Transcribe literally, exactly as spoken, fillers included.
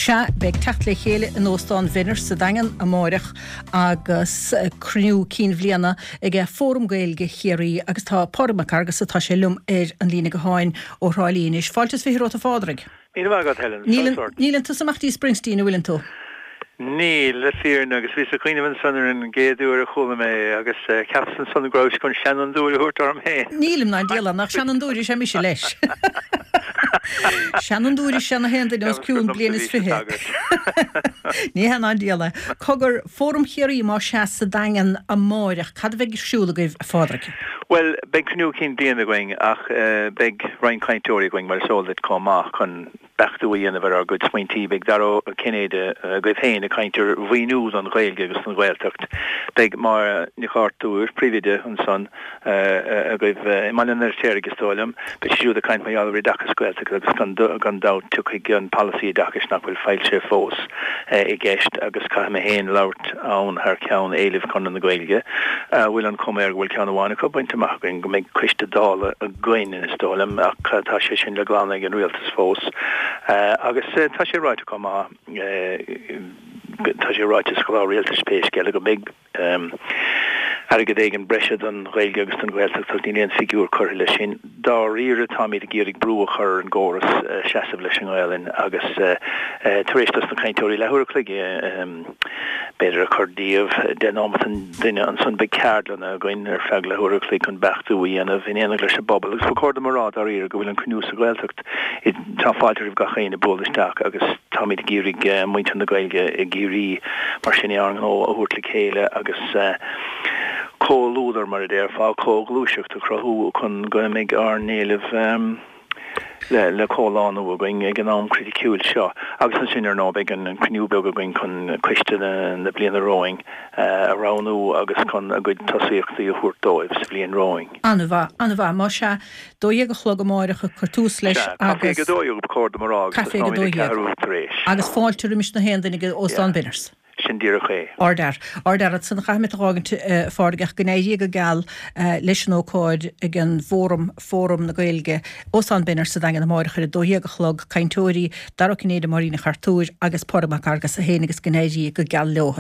Sea, beidh teacht le chéile in Óstán Bhenners sa Daingean amáireach agus cruinniú cinn bhliana ag Fóram Gaeilge Chiarraí agus tá Pádraig Mac Fhearghusa tá sé liom ar an líne gutháin ó Thrá Lí anois. Fáilte is fiche romhat a Phádraig. Míle maith agat Helen. Níleann tusa amach dtí Springsteen an bhfuileann tú. Níl le fírinne agus bhíos ag cuimhneamh ansan ar an gcéad uair a chuala mé é agus cheapas ansan go rabhais chun seanfhondúir a thabhairt orm féin. Nílim ná diabhal nach seanfhondúir is ea mise leis. Seanfhondúir is ea na haon duine os cionn bliain is fiche. Ní hea ná diabhal é. Cogar, Fóram Chiarraí más sea sa Daingean amáireach, cad a bheidh ar siúl agaibh a Phádraig? Bhuel, beidh cruinniú cinn bliana againn ach beidh roinnt cainteoirí againn mar is eol duit chomh maith chun beachtú a dhéanamh ar ár gcuid smaointí. Beidh Dara Ó Cinnéide agaibh féin ag caint ar mhaoiniú don Ghaeilge agus don Ghaeltacht. Beidh Máire Nic Artúir, príomhoide ansan agaibh i mBaile an Fheirtéaraigh is dóigh liom. Beidh sí siúd ag caint mar gheall ar oideachas Gaeltachta agus gan dabht tiocfaidh an polasaí oideachais nach bhfuil foilsithe fós i gceist agus caithfidh mé féin labhairt ann thar ceann éilimh Chonradh na Gaeilge a bhfuil an chuma air go bhfuil ceann amháin acu bainte amach againn go mbeidh coiste Dála againn is dóigh liom ach tá sé sin le glanadh ag an rialtas fós. Agus tá sé ráite chomh maith, tá sé ráite sa chlár rialtais pé scéal é go mbeidh airgead éigin breise don Ghaeilge agus don Ghaeltacht ach níl aon figiúr curtha leis sin. Dáiríre táimid ag iarraidh brú a chur ar an gcóras seasamh leis an nGaelainn agus tar éis dos na cainteoirí leathuair a chloig b'fhéidir a chur díobh, deich nóimeat an duine, ansan beidh ceardlanna againn ar feadh leathuair a chloig chun beachtú a dhéanamh in éineacht leis an bpobal agus ba chóir dom a rá dáiríre go bhfuil an cruinniú sa Ghaeltacht Tá fáilte roimh gach éinne bualadh isteach agus táimid ag iarraidh muintir na Gaeilge i gCiarraí mar sin ár ngnó a thabhairt le chéile agus comhluadar, mar a déarfá, comhghluaiseacht a chruthú chun go mbeidh ár n-éilimh le comhlánú againn ag an am criticiúil seo. Agus ansin, ar ndóigh, beidh an cruinniú beag againn chun coiste na bliana romhainn a roghnú agus chun a gcuid tosaíochtaí a thabhairt dóibh sa bhliain romhainn. An-mhaith, an-mhaith. Más ea, dó dhéag a chlog amáireach ag cur tús leis Sea, caife ag agus. a dó dhéag ba chóir dom a rá agus Caife ag a tosnóimid dó ag dhéag. ceathrú tar éis. Agus fáilte roimis na haon duine ag Óstán Yeah, Benners. sin díreach é. Ardfhear. Ardfhear. Ansan caithfidh mé tú a dh'fhágaint, a Phádraig, ach go n-éirí go geal leis an ócáid ag an bhFóram, Fóram na Gaeilge, Óstán Benners sa Daingean amáireach ar a dó dhéag a chlog, cainteoirí, Dara Ó Cinnéide, Máirín Nic Artúir agus Pádraig Mac Fhearghusa féin agus go n-éirí go geal leo.